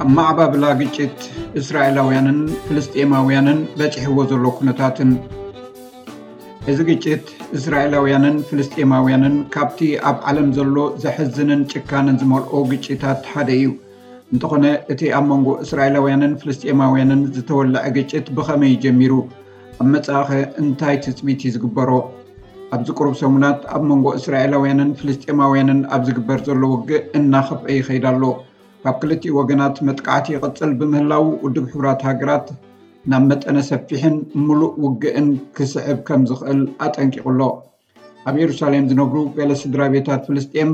ኣብ ማዕባብላ ግጭት እስራኤላውያንን ፍልስጤማውያንን በጺሕዎ ዘሎ ኩነታትን። እዚ ግጭት እስራኤላውያንን ፍልስጤማውያንን ካብቲ ኣብ ዓለም ዘሎ ዘሕዝንን ጭካነን ዝመልኦ ግጭታት ሓደ እዩ። እንተኾነ እቲ ኣብ መንጎ እስራኤላውያንን ፍልስጤማውያንን ዝተወለዐ ግጭት ብኸመይ ጀሚሩ? ኣብ መጻኢኸ እንታይ ትጽቢት እዩ ዝግበሮ? ኣብዚ ቁሩብ ሰሙናት ኣብ መንጎ እስራኤላውያንን ፍልስጤማውያንን ኣብ ዝግበር ዘሎ ውግእ እናኸፍአ ይኸይድ ኣሎ። ካብ ክልቲኡ ወገናት መጥቃዕቲ ይቕጽል ብምህላው ውድብ ሕቡራት ሃገራት ናብ መጠነ ሰፊሕን ምሉእ ውግእን ክስዕብ ከም ዝኽእል ኣጠንቂቑ ኣሎ። ኣብ የሩሳሌም ዝነብሩ ገለ ስድራ ቤታት ፍልስጤም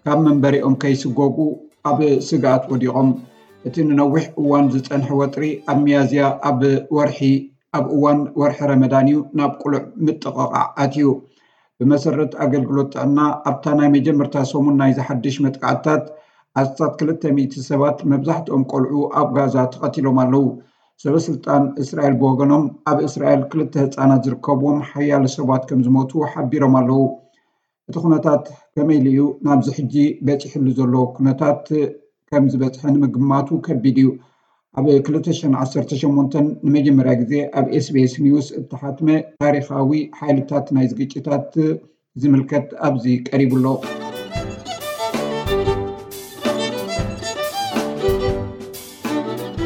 ካብ መንበሪኦም ከይስጎጉ ኣብ ስግኣት ወዲቖም። እቲ ንነዊሕ እዋን ዝጸንሐ ወጥሪ ኣብ ሚያዝያ ኣብ ወርሒ ኣብ እዋን ወርሒ ረመዳን እዩ ናብ ቅሉዕ ምጥቕቓዕ ኣትዩ። ብመሰረት ኣገልግሎት ጥዕና ኣብታ ናይ መጀመርታ ሰሙን ናይዚ ሓድሽ መጥቃዕትታት ኣስታት ክልተ ሚእቲ ሰባት መብዛሕትኦም ቆልዑ ኣብ ጋዛ ተቐቲሎም ኣለዉ። ሰበ ስልጣን እስራኤል ብወገኖም ኣብ እስራኤል ክልተ ህፃናት ዝርከብዎም ሓያለ ሰባት ከም ዝሞቱ ሓቢሮም ኣለዉ። እቲ ኩነታት ከመይ ኢሉ እዩ ናብዚ ሕጂ በፂሕሉ ዘሎ ኩነታት ከም ዝበፅሐ ንምግማቱ ከቢድ እዩ። ኣብ ክልተ ሽሕን ዓሰርተ ሸሞንተን ንመጀመርያ ግዜ ኣብ ኤስቢኤስ ኒውስ እተሓትመ ታሪኻዊ ሓይልታት ናይ ዝግጭታት ዝምልከት ኣብዚ ቀሪቡ ኣሎ።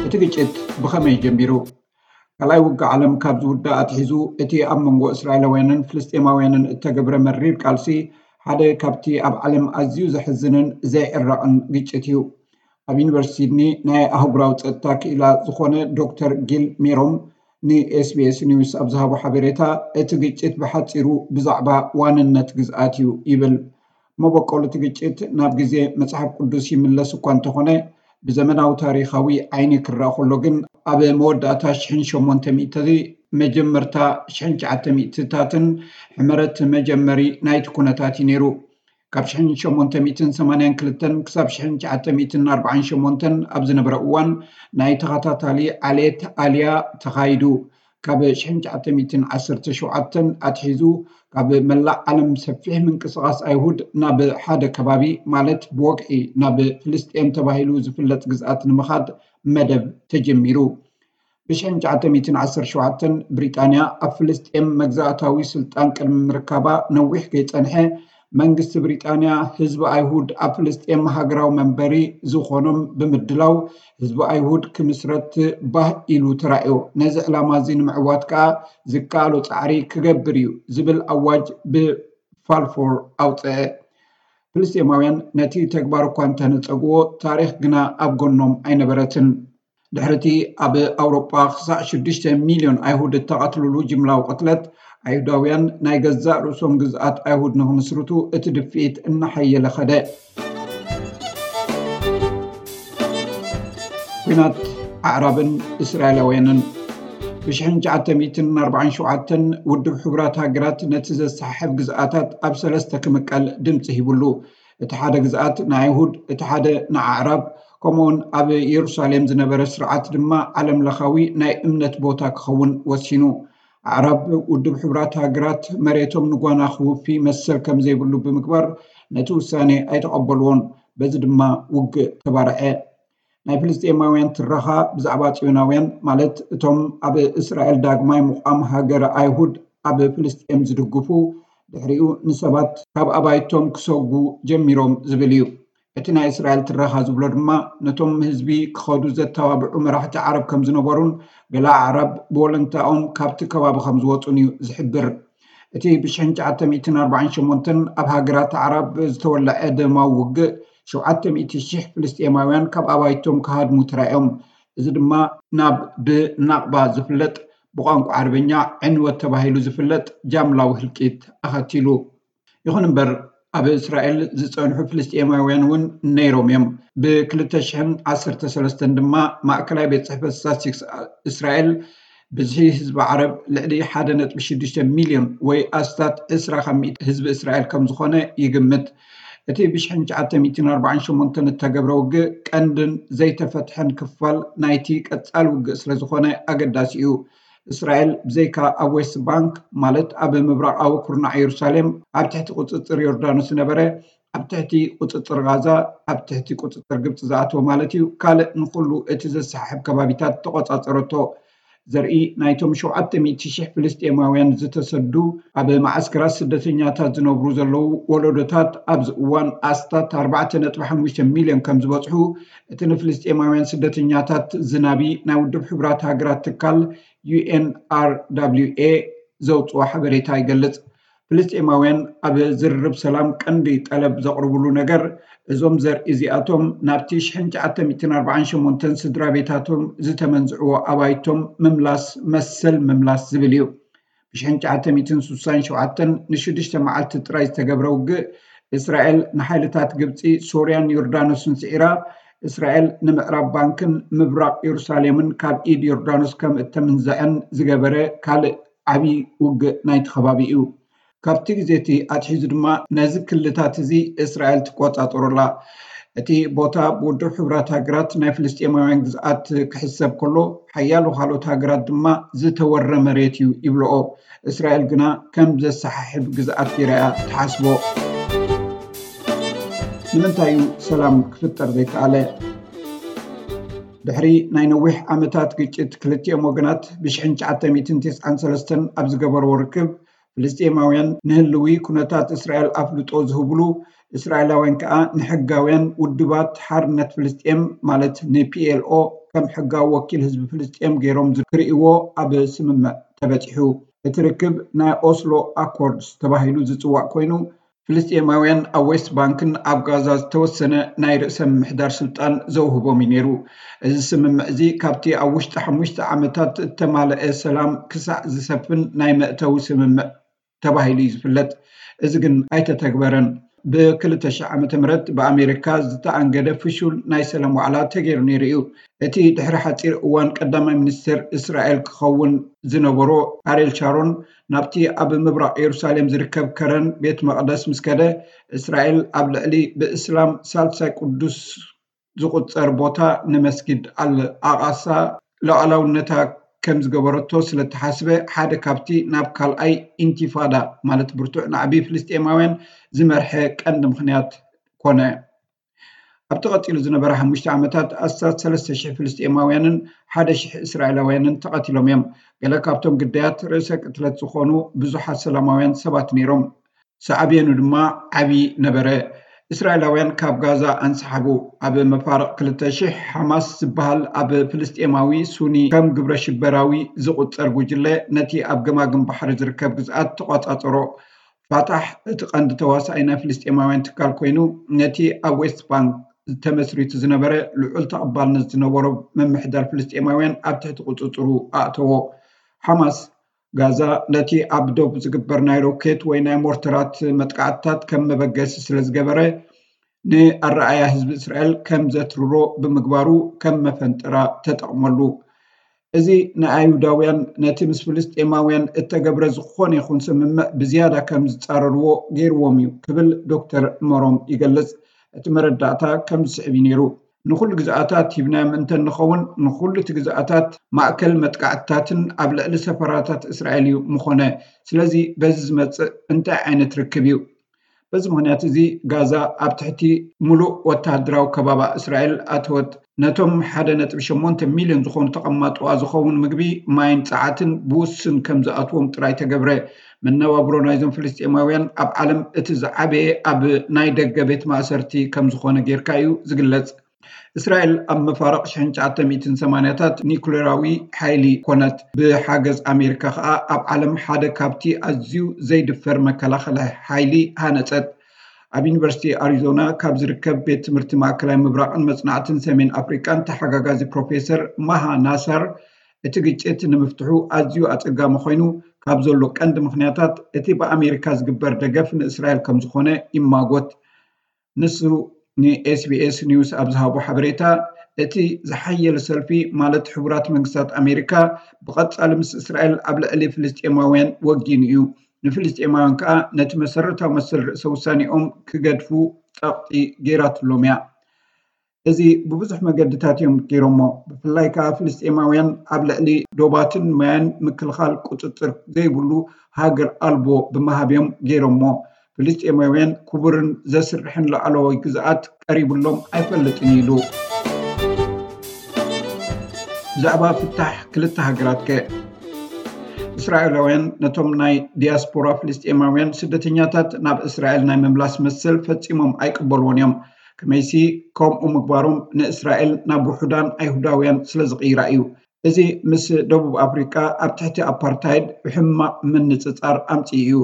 እቲ ግጭት ብኸመይ ጀሚሩ? ካልኣይ ውግእ ዓለም ካብ ዝውዳእ ኣትሒዙ እቲ ኣብ መንጎ እስራኤላውያንን ፍልስጤማውያንን እተገብረ መሪር ቃልሲ ሓደ ካብቲ ኣብ ዓለም ኣዝዩ ዘሕዝንን ዘይዕረቕን ግጭት እዩ። ኣብ ዩኒቨርሲቲ ሲድኒ ናይ ኣህጉራዊ ጸጥታ ክኢላ ዝኾነ ዶክተር ጊል ሜሮም ንኤስቢኤስ ኒውስ ኣብ ዝሃቦ ሓበሬታ፣ እቲ ግጭት ብሓጺሩ ብዛዕባ ዋንነት ግዝኣት እዩ ይብል። መበቆል እቲ ግጭት ናብ ግዜ መጽሓፍ ቅዱስ ይምለስ እኳ እንተኾነ፣ ብዘመናዊ ታሪኻዊ ዓይኒ ክረኣ ከሎ ግን፣ ኣብ መወዳእታ ሽሕን ሸሞንተ ሚእቲ፣ መጀመርታ ሽሕን ትሽዓተ ሚእትታትን ሕመረት መጀመሪ ናይቲ ኩነታት እዩ ነይሩ። ካብ ሽሕን ሸሞንተ ሚእትን ሰማንያን ክልተን ክሳብ ሽሕን ትሽዓተ ሚእትን ኣርባዓን ሸሞንተን ኣብ ዝነበረ እዋን ናይ ተኸታታሊ ዓሌት ኣልያ ተኻይዱ። ካብ ሽሕን ትሽዓተ ሚእትን ዓሰርተ ሸውዓተን ኣትሒዙ ካብ መላእ ዓለም ሰፊሕ ምንቅስቓስ ኣይሁድ ናብ ሓደ ከባቢ፣ ማለት ብወግዒ ናብ ፍልስጤም ተባሂሉ ዝፍለጥ ግዝኣት ንምኻድ መደብ ተጀሚሩ። ብሽሕን ትሽዓተ ሚእትን ዓሰርተ ሸውዓተን ብሪጣንያ ኣብ ፍልስጤም መግዛእታዊ ስልጣን ቅድሚ ምርካባ ነዊሕ ከይጸንሐ፣ መንግስቲ ብሪጣንያ ህዝቢ ኣይሁድ ኣብ ፍልስጤም ሃገራዊ መንበሪ ዝኾኖም ብምድላው፣ ህዝቢ ኣይሁድ ክምስረት ባህ ኢሉ ተራእዮ። ነዚ ዕላማ እዚ ንምዕዋት ከኣ ዝከኣሎ ጻዕሪ ክገብር እዩ ዝብል ኣዋጅ ብፋልፎር ኣውጽአ። ፍልስጤማውያን ነቲ ተግባር እኳ እንተነጸግዎ፣ ታሪኽ ግና ኣብ ጎኖም ኣይነበረትን። ድሕሪ እቲ ኣብ ኣውሮጳ ክሳዕ ሽዱሽተ ሚልዮን ኣይሁድ እተቐትልሉ ጅምላዊ ቅትለት፣ ኣይሁዳውያን ናይ ገዛእ ርእሶም ግዝኣት ኣይሁድ ንኽምስርቱ እቲ ድፍኢት እናሓየለ ኸደ። ኲናት ኣዕራብን እስራኤላውያንን። ብሽሕን ትሽዓተ ሚእትን ኣርባዓን ሸውዓተን ውድብ ሕቡራት ሃገራት ነቲ ዘሰሓሕብ ግዝኣታት ኣብ ሰለስተ ክምቀል ድምጺ ሂቡሉ። እቲ ሓደ ግዝኣት ንኣይሁድ፣ እቲ ሓደ ንኣዕራብ፣ ከምኡውን ኣብ የሩሳሌም ዝነበረ ስርዓት ድማ ዓለም ለኻዊ ናይ እምነት ቦታ ክኸውን ወሲኑ። ኣዕራብ ውድብ ሕቡራት ሃገራት መሬቶም ንጓና ክውፊ መሰል ከም ዘይብሉ ብምግባር ነቲ ውሳኔ ኣይተቐበልዎን። በዚ ድማ ውግእ ተባርዐ። ናይ ፍልስጤማውያን ትረኻ ብዛዕባ ጽዮናውያን፣ ማለት እቶም ኣብ እስራኤል ዳግማይ ምቋም ሃገረ ኣይሁድ ኣብ ፍልስጤም ዝድግፉ፣ ድሕሪኡ ንሰባት ካብ ኣባይቶም ክሰጉ ጀሚሮም ዝብል እዩ። እቲ ናይ እስራኤል ትረኻ ዝብሎ ድማ፣ ነቶም ህዝቢ ክኸዱ ዘተባብዑ መራሕቲ ዓረብ ከም ዝነበሩን፣ ገለ ኣዕራብ ብወለንታኦም ካብቲ ከባቢ ከም ዝወጹን እዩ ዝሕብር። እቲ ብሽሕን ትሽዓተ ሚእትን ኣርባዓን ሸሞንተን ኣብ ሃገራት ኣዕራብ ዝተወለዐ ደማዊ ውግእ፣ ሸውዓተ ሚእቲ ሽሕ ፍልስጤማውያን ካብ ኣባይቶም ክሃድሙ ተራእዮም። እዚ ድማ ናብ ብናቕባ ዝፍለጥ፣ ብቋንቋ ዓረብኛ ዕንወት ተባሂሉ ዝፍለጥ ጃምላዊ ህልቂት ኣኸቲሉ። ይኹን እምበር፣ ኣብ እስራኤል ዝጸንሑ ፍልስጤማውያን እውን ነይሮም እዮም። ብክልተ ሽሕን ዓሰርተ ሰለስተን ድማ ማእከላይ ቤት ጽሕፈት ስታትስቲክስ እስራኤል ብዝሒ ህዝቢ ዓረብ ልዕሊ ሓደ ነጥቢ ሽዱሽተ ሚልዮን ወይ ኣስታት ዕስራ ካብ ሚእቲ ህዝቢ እስራኤል ከም ዝኾነ ይግምት። እቲ ብሽሕን ትሽዓተ ሚእትን ኣርባዓን ሸሞንተን እተገብረ ውግእ ቀንድን ዘይተፈትሐን ክፋል ናይቲ ቀጻሊ ውግእ ስለ ዝኾነ ኣገዳሲ እዩ። እስራኤል ብዘይካ ኣብ ዌስት ባንክ፣ ማለት ኣብ ምብራቓዊ ኩርናዕ የሩሳሌም፣ ኣብ ትሕቲ ቁጽጽር ዮርዳኖስ ዝነበረ ኣብ ትሕቲ ቁፅፅር ጋዛ፣ ኣብ ትሕቲ ቁፅፅር ግብፂ ዝኣተወ ማለት እዩ፣ ካልእ ንኩሉ እቲ ዘሰሓሕብ ከባቢታት ተቆፃፀረቶ። ዘርኢ ናይቶም ሸውዓተ ሚእቲ ሽሕ ፍልስጤማውያን ዝተሰዱ ኣብ ማዓስከራት ስደተኛታት ዝነብሩ ዘለዉ ወለዶታት ኣብዚ እዋን ኣስታት ኣርባዕተ ነጥቢ ሓሙሽተ ሚልዮን ከም ዝበፅሑ እቲ ንፍልስጤማውያን ስደተኛታት ዝናቢ ናይ ውድብ ሕቡራት ሃገራት ትካል ዩ ኤን ኣር ደብሊው ኤ ዘውፅኦ ሓበሬታ ይገልፅ። ፍልስጤማውያን ኣብ ዝርርብ ሰላም ቀንዲ ጠለብ ዘቕርብሉ ነገር እዞም ዘርኢ እዚኣቶም ናብቲ ሽሕን ትሽዓተ ሚእትን ኣርባዓን ሸሞንተን ስድራ ቤታቶም ዝተመንዝዕዎ ኣባይቶም ምምላስ መሰል ምምላስ ዝብል እዩ። ብሽሕን ትሽዓተ ሚእትን ስሳን ሸውዓተን ንሽዱሽተ መዓልቲ ጥራይ ዝተገብረ ውግእ እስራኤል ንሓይልታት ግብፂ፣ ሶርያን ዮርዳኖስን ስዒራ እስራኤል ንምዕራብ ባንክን ምብራቕ የሩሳሌምን ካብ ኢድ ዮርዳኖስ ከም እተምንዘዐን ዝገበረ ካልእ ዓቢ ውግእ ናይቲ ከባቢ እዩ። ካብቲ ግዜ እቲ ኣትሒዙ ድማ ነዚ ክልታት እዚ እስራኤል ትቆጻጸሮ ኣላ። እቲ ቦታ ብውድብ ሕቡራት ሃገራት ናይ ፍልስጤማውያን ግዝኣት ክሕሰብ ከሎ ሓያሎ ካልኦት ሃገራት ድማ ዝተወረ መሬት እዩ ይብልኦ። እስራኤል ግና ከም ዘሰሓሕብ ግዝኣት ገይራ እያ ትሓስቦ። ንምንታይ እዩ ሰላም ክፍጠር ዘይከኣለ? ድሕሪ ናይ ነዊሕ ዓመታት ግጭት ክልቲኦም ወገናት ብሽሕን ትሽዓተ ሚእትን ተስዓን ሰለስተን ኣብ ዝገበርዎ ርክብ ፍልስጤማውያን ንህልዊ ኩነታት እስራኤል ኣፍልጦ ዝህብሉ እስራኤላውያን ከኣ ንሕጋውያን ውድባት ሓርነት ፍልስጤም ማለት ንፒኤልኦ ከም ሕጋዊ ወኪል ህዝቢ ፍልስጤም ገይሮም ክርእይዎ ኣብ ስምምዕ ተበጺሑ። እቲ ርክብ ናይ ኦስሎ ኣኮርድስ ተባሂሉ ዝጽዋዕ ኮይኑ ፍልስጤማውያን ኣብ ዌስት ባንክን ኣብ ጋዛ ዝተወሰነ ናይ ርእሰ ምምሕዳር ስልጣን ዘውህቦም እዩ ነይሩ። እዚ ስምምዕ እዚ ካብቲ ኣብ ውሽጢ ሓሙሽተ ዓመታት እተማልአ ሰላም ክሳዕ ዝሰፍን ናይ መእተዊ ስምምዕ ተባሂሉ እዩ ዝፍለጥ። እዚ ግን ኣይተተግበረን። ብ ክልተ ሽሕ ዓመተ ምህረት ብኣሜሪካ ዝተኣንገደ ፍሹል ናይ ሰላም ዋዕላ ተገይሩ ነይሩ እዩ። እቲ ድሕሪ ሓጺር እዋን ቀዳማይ ሚኒስትር እስራኤል ክኸውን ዝነበሮ ኣሬል ሻሮን ናብቲ ኣብ ምብራቕ የሩሳሌም ዝርከብ ከረን ቤት መቕደስ ምስ ከደ፣ እስራኤል ኣብ ልዕሊ ብእስላም ሳልሳይ ቅዱስ ዝቑጸር ቦታ ንመስጊድ ኣል ኣቓሳ ሉዓላውነታ ከም ዝገበረቶ ስለ እተሓስበ ሓደ ካብቲ ናብ ካልኣይ ኢንቲፋዳ ማለት ብርቱዕ ናዕቢ ፍልስጤማውያን ዝመርሐ ቀንዲ ምኽንያት ኮነ። ኣብቲ ቀጺሉ ዝነበረ ሓሙሽተ ዓመታት ኣስታት ሰለስተ ሽሕ ፍልስጤማውያንን ሓደ ሽሕ እስራኤላውያንን ተቐቲሎም እዮም። ገለ ካብቶም ግዳያት ርእሰ ቅትለት ዝኾኑ ብዙሓት ሰላማውያን ሰባት ነይሮም። ሳዕቤኑ ድማ ዓቢ ነበረ። እስራኤላውያን ካብ ጋዛ ኣንሰሓቡ። ኣብ መፋርቕ ክልተ ሽሕ ሓማስ ዝበሃል ኣብ ፍልስጤማዊ ሱኒ ከም ግብረ ሽበራዊ ዝቑጸር ጉጅለ ነቲ ኣብ ገማግም ባሕሪ ዝርከብ ግዝኣት ተቋጻጸሮ። ፋታሕ እቲ ቀንዲ ተዋሳኣይ ናይ ፍልስጤማውያን ትካል ኮይኑ ነቲ ኣብ ዌስት ባንክ ተመስሪቱ ዝነበረ ልዑል ተቐባልነት ዝነበሮ ምምሕዳር ፍልስጤማውያን ኣብ ትሕቲ ቁጽጽሩ ኣእተዎ። ሓማስ ጋዛ ነቲ ኣብ ዶብ ዝግበር ናይ ሮኬት ወይ ናይ ሞርተራት መጥቃዕትታት ከም መበገሲ ስለ ዝገበረ ንኣረኣያ ህዝቢ እስራኤል ከም ዘትርሮ ብምግባሩ ከም መፈንጠራ ተጠቕመሉ። እዚ ንኣይሁዳውያን ነቲ ምስ ፍልስጤማውያን እተገብረ ዝኾነ ይኹን ስምምዕ ብዝያዳ ከም ዝጻረርዎ ገይርዎም እዩ ክብል ዶክተር መሮም ይገልጽ። እቲ መረዳእታ ከም ዝስዕብ እዩ ነይሩ። ንኹሉ ግዝኣታት ሂብናዮም እንተ ንኸውን ንኹሉ እቲ ግዝኣታት ማእከል መጥቃዕትታትን ኣብ ልዕሊ ሰፈራታት እስራኤል እዩ ምኾነ። ስለዚ በዚ ዝመጽእ እንታይ ዓይነት ርክብ እዩ? በዚ ምኽንያት እዚ ጋዛ ኣብ ትሕቲ ምሉእ ወተሃደራዊ ከባባ እስራኤል ኣተወት። ነቶም ሓደ ነጥቢ ሸሞንተ ሚልዮን ዝኾኑ ተቐማጦኣ ዝኸውን ምግቢ፣ ማይን ጸዓትን ብውሱን ከም ዝኣትዎም ጥራይ ተገብረ። መነባብሮ ናይዞም ፍልስጤማውያን ኣብ ዓለም እቲ ዝዓበየ ኣብ ናይ ደገ ቤት ማእሰርቲ ከም ዝኾነ ጌርካ እዩ ዝግለጽ። እስራኤል ኣብ መፋርቕ ሽሕን ትሽዓተ ሚእትን ሰማንያታት ኒኩሌራዊ ሓይሊ ኮነት። ብሓገዝ ኣሜሪካ ከኣ ኣብ ዓለም ሓደ ካብቲ ኣዝዩ ዘይድፈር መከላኸሊ ሓይሊ ሃነጸት። ኣብ ዩኒቨርሲቲ ኣሪዞና ካብ ዝርከብ ቤት ትምህርቲ ማእከላይ ምብራቕን መጽናዕትን ሰሜን ኣፍሪቃን ተሓጋጋዚ ፕሮፌሰር ማሃ ናሳር፣ እቲ ግጭት ንምፍትሑ ኣዝዩ ኣጸጋሚ ኮይኑ ካብ ዘሎ ቀንዲ ምኽንያታት እቲ ብኣሜሪካ ዝግበር ደገፍ ንእስራኤል ከም ዝኾነ ይማጎት። ንሱ ንኤስቢኤስ ኒውስ ኣብ ዝሃቦ ሓበሬታ፣ እቲ ዝሓየለ ሰልፊ ማለት ሕቡራት መንግስታት ኣሜሪካ ብቐጻሊ ምስ እስራኤል ኣብ ልዕሊ ፍልስጤማውያን ወጊኑ እዩ። ንፍልስጤማውያን ከኣ ነቲ መሰረታዊ መሰል ርእሰ ውሳኔኦም ክገድፉ ጸቕጢ ገይራትሎም እያ። እዚ ብብዙሕ መገድታት እዮም ገይሮሞ። ብፍላይ ከኣ ፍልስጤማውያን ኣብ ልዕሊ ዶባትን ማያን ምክልኻል ቁጽጽር ዘይብሉ ሃገር ኣልቦ ብምሃብ እዮም ገይሮሞ። ፍልስጤማውያን ክቡርን ዘስርሕን ላዕለዋይ ግዝኣት ቀሪቡሎም ኣይፈልጥን ኢሉ። ብዛዕባ ፍታሕ ክልተ ሃገራት ከ? እስራኤላውያን ነቶም ናይ ዲያስፖራ ፍልስጤማውያን ስደተኛታት ናብ እስራኤል ናይ ምምላስ መሰል ፈጺሞም ኣይቅበልዎን እዮም። ከመይሲ ከምኡ ምግባሮም ንእስራኤል ናብ ውሑዳን ኣይሁዳውያን ስለ ዝቕይራ እዩ። እዚ ምስ ደቡብ ኣፍሪቃ ኣብ ትሕቲ ኣፓርታይድ ብሕማቕ ምንጽጻር ኣምጺኡ እዩ።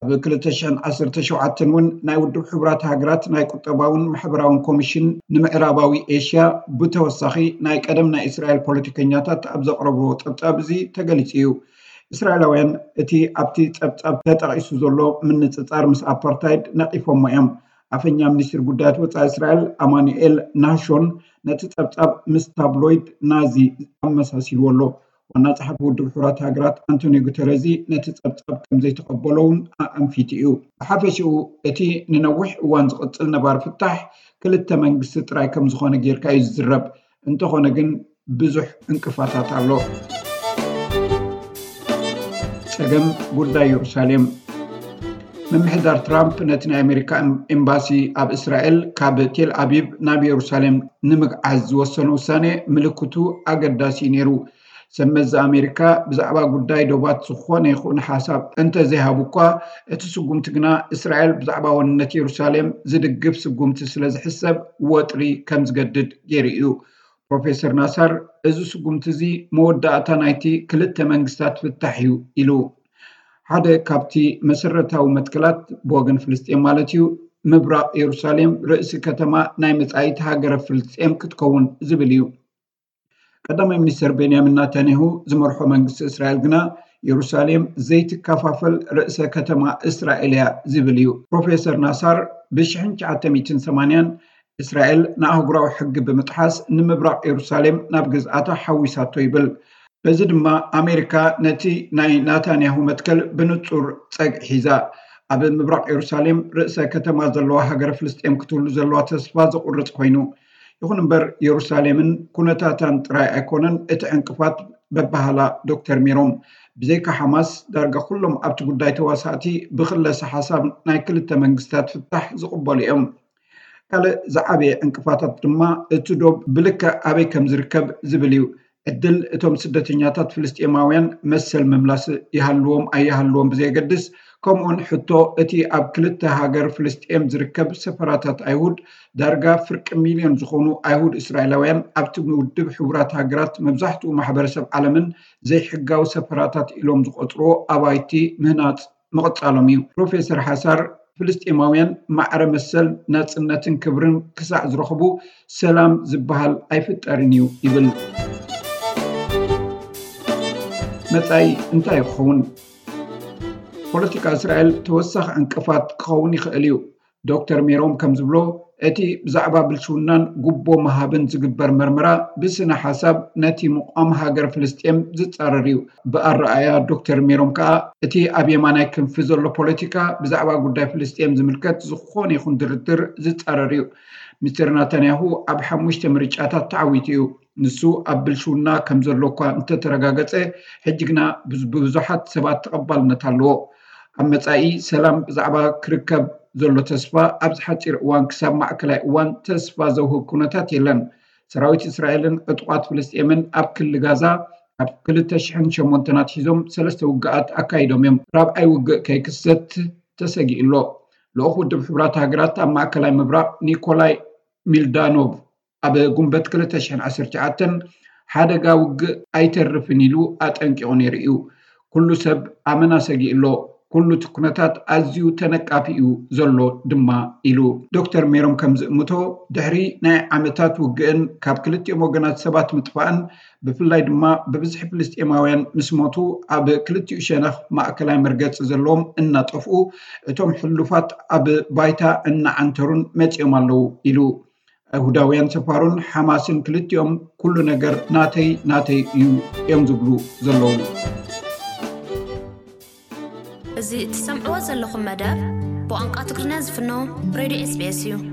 ኣብ ክልተ ሽሕን ዓሰርተ ሸውዓተን እውን ናይ ውድብ ሕቡራት ሃገራት ናይ ቁጠባውን ማሕበራውን ኮሚሽን ንምዕራባዊ ኤሽያ ብተወሳኺ ናይ ቀደም ናይ እስራኤል ፖለቲከኛታት ኣብ ዘቕረብዎ ጸብጻብ እዚ ተገሊጹ እዩ። እስራኤላውያን እቲ ኣብቲ ጸብጻብ ተጠቒሱ ዘሎ ምንጽጻር ምስ ኣፓርታይድ ነቒፎሞ እዮም። ኣፈኛ ሚኒስትሪ ጉዳያት ወጻኢ እስራኤል ኣማኑኤል ናሾን ነቲ ጸብጻብ ምስ ታብሎይድ ናዚ ኣመሳሲልዎ ኣሎ። ዋና ጸሓፊ ውድብ ሕቡራት ሃገራት ኣንቶኒዮ ጉተረዚ ነቲ ጸብጻብ ከም ዘይተቐበሎ እውን ኣኣንፊቱ እዩ። ብሓፈሽኡ እቲ ንነዊሕ እዋን ዝቕጽል ነባሪ ፍታሕ ክልተ መንግስቲ ጥራይ ከም ዝኾነ ጌርካ እዩ ዝዝረብ። እንተኾነ ግን ብዙሕ ዕንቅፋታት ኣሎ። ጸገም ጉዳይ የሩሳሌም። ምምሕዳር ትራምፕ ነቲ ናይ ኣሜሪካ ኤምባሲ ኣብ እስራኤል ካብ ቴል ኣቪቭ ናብ የሩሳሌም ንምግዓዝ ዝወሰኖ ውሳኔ ምልክቱ ኣገዳሲ እዩ ነይሩ። ሰብ መዚ ኣሜሪካ ብዛዕባ ጉዳይ ዶባት ዝኾነ ይኹን ሓሳብ እንተዘይሃቡ እኳ፣ እቲ ስጉምቲ ግና እስራኤል ብዛዕባ ዋንነት የሩሳሌም ዝድግፍ ስጉምቲ ስለ ዝሕሰብ ወጥሪ ከም ዝገድድ ገይሩ እዩ። ፕሮፌሰር ናሳር፣ እዚ ስጉምቲ እዚ መወዳእታ ናይቲ ክልተ መንግስታት ፍታሕ እዩ ኢሉ። ሓደ ካብቲ መሰረታዊ መትከላት ብወገን ፍልስጤም ማለት እዩ፣ ምብራቕ የሩሳሌም ርእሲ ከተማ ናይ መጻኢት ሃገረ ፍልስጤም ክትከውን ዝብል እዩ። ቀዳማይ ሚኒስትር ቤንያሚን ናታንያሁ ዝመርሖ መንግስቲ እስራኤል ግና የሩሳሌም ዘይትከፋፈል ርእሰ ከተማ እስራኤል እያ ዝብል እዩ። ፕሮፌሰር ናሳር ብሽሕን ትሽዓተ ሚእትን ሰማንያን እስራኤል ንኣህጉራዊ ሕጊ ብምጥሓስ ንምብራቕ የሩሳሌም ናብ ግዝኣታ ሓዊሳቶ ይብል። በዚ ድማ ኣሜሪካ ነቲ ናይ ናታንያሁ መትከል ብንጹር ጸግዒ ሒዛ። ኣብ ምብራቕ የሩሳሌም ርእሰ ከተማ ዘለዋ ሃገረ ፍልስጤም ክትህሉ ዘለዋ ተስፋ ዘቑርጽ ኮይኑ፣ ይኹን እምበር የሩሳሌምን ኩነታታን ጥራይ ኣይኮነን እቲ ዕንቅፋት በባህላ ዶክተር ሜሮም። ብዘይካ ሓማስ ዳርጋ ኩሎም ኣብቲ ጉዳይ ተዋሳእቲ ብክለሰ ሓሳብ ናይ ክልተ መንግስታት ፍታሕ ዝቕበሉ እዮም። ካልእ ዝዓበየ ዕንቅፋታት ድማ እቲ ዶብ ብልክዕ ኣበይ ከም ዝርከብ ዝብል እዩ። ዕድል እቶም ስደተኛታት ፍልስጤማውያን መሰል ምምላስ ይሃልዎም ኣይሃልዎም ብዘየገድስ፣ ከምኡውን ሕቶ እቲ ኣብ ክልተ ሃገር ፍልስጤም ዝርከብ ሰፈራታት ኣይሁድ ዳርጋ ፍርቂ ሚልዮን ዝኾኑ ኣይሁድ እስራኤላውያን ኣብቲ ውድብ ሕቡራት ሃገራት መብዛሕትኡ ማሕበረሰብ ዓለምን ዘይሕጋዊ ሰፈራታት ኢሎም ዝቆጽርዎ ኣባይቲ ምህናጽ ምቕጻሎም እዩ። ፕሮፌሰር ሓሳር ፍልስጤማውያን ማዕረ መሰል ናጽነትን ክብርን ክሳዕ ዝረኽቡ ሰላም ዝበሃል ኣይፍጠርን እዩ ይብል። መጻኢ እንታይ ክኸውን? ፖለቲካ እስራኤል ተወሳኺ ዕንቅፋት ክኸውን ይኽእል እዩ። ዶክተር ሜሮም ከም ዝብሎ፣ እቲ ብዛዕባ ብልሽውናን ጉቦ ምሃብን ዝግበር መርመራ ብስነ ሓሳብ ነቲ ምቋም ሃገር ፍልስጤም ዝጻረር እዩ። ብኣረኣእያ ዶክተር ሜሮም ከኣ፣ እቲ ኣብ የማናይ ክንፊ ዘሎ ፖለቲካ ብዛዕባ ጉዳይ ፍልስጤም ዝምልከት ዝኾነ ይኹን ድርድር ዝጻረር እዩ። ሚስተር ናታንያሁ ኣብ ሓሙሽተ ምርጫታት ተዓዊቱ እዩ። ንሱ ኣብ ብልሽውና ከም ዘሎ እኳ እንተተረጋገጸ፣ ሕጂ ግና ብዝ-፣ ብብዙሓት ሰባት ተቐባልነት ኣለዎ። ኣብ መጻኢ ሰላም ብዛዕባ ክርከብ ዘሎ ተስፋ ኣብዚ ሓጺር እዋን ክሳብ ማእከላይ እዋን ተስፋ ዘውህብ ኩነታት የለን። ሰራዊት እስራኤልን ዕጡቓት ፍልስጤምን ኣብ ክሊ ጋዛ ካብ ክልተ ሽሕን ሸሞንተን ኣትሒዞም ሰለስተ ውግኣት ኣካይዶም እዮም። ራብዓይ ውግእ ከይክሰት ተሰጊኡ ኣሎ። ልኡኽ ውድብ ሕቡራት ሃገራት ኣብ ማእከላይ ምብራቕ ኒኮላይ ሚልዳኖቭ ኣብ ጉንበት ክልተ ሽሕን ዓሰርተ ትሽዓተን ሓደጋ ውግእ ኣይተርፍን ኢሉ ኣጠንቂቑ ነይሩ እዩ። ኩሉ ሰብ ኣመና ሰጊኡ ኣሎ። ኩሉ እቲ ኩነታት ኣዝዩ ተነቃፊ እዩ ዘሎ ድማ ኢሉ። ዶክተር ሜሮም ከም ዝእምቶ፣ ድሕሪ ናይ ዓመታት ውግእን ካብ ክልቲኦም ወገናት ሰባት ምጥፋእን ብፍላይ ድማ ብብዝሒ ፍልስጤማውያን ምስ ሞቱ ኣብ ክልቲኡ ሸነኽ ማእከላይ መርገጺ ዘለዎም እናጠፍኡ፣ እቶም ሕሉፋት ኣብ ባይታ እናዓንተሩን መጺኦም ኣለዉ ኢሉ። ኣይሁዳውያን ሰፋሮን ሓማስን ክልቲኦም ኩሉ ነገር ናተይ ናተይ እዩ እዮም ዝብሉ ዘለዉ። እዚ እትሰምዕዎ ዘለኹም መደብ ብቋንቋ ትግርኛ ዝፍኖ ሬድዮ ኤስቢኤስ እዩ።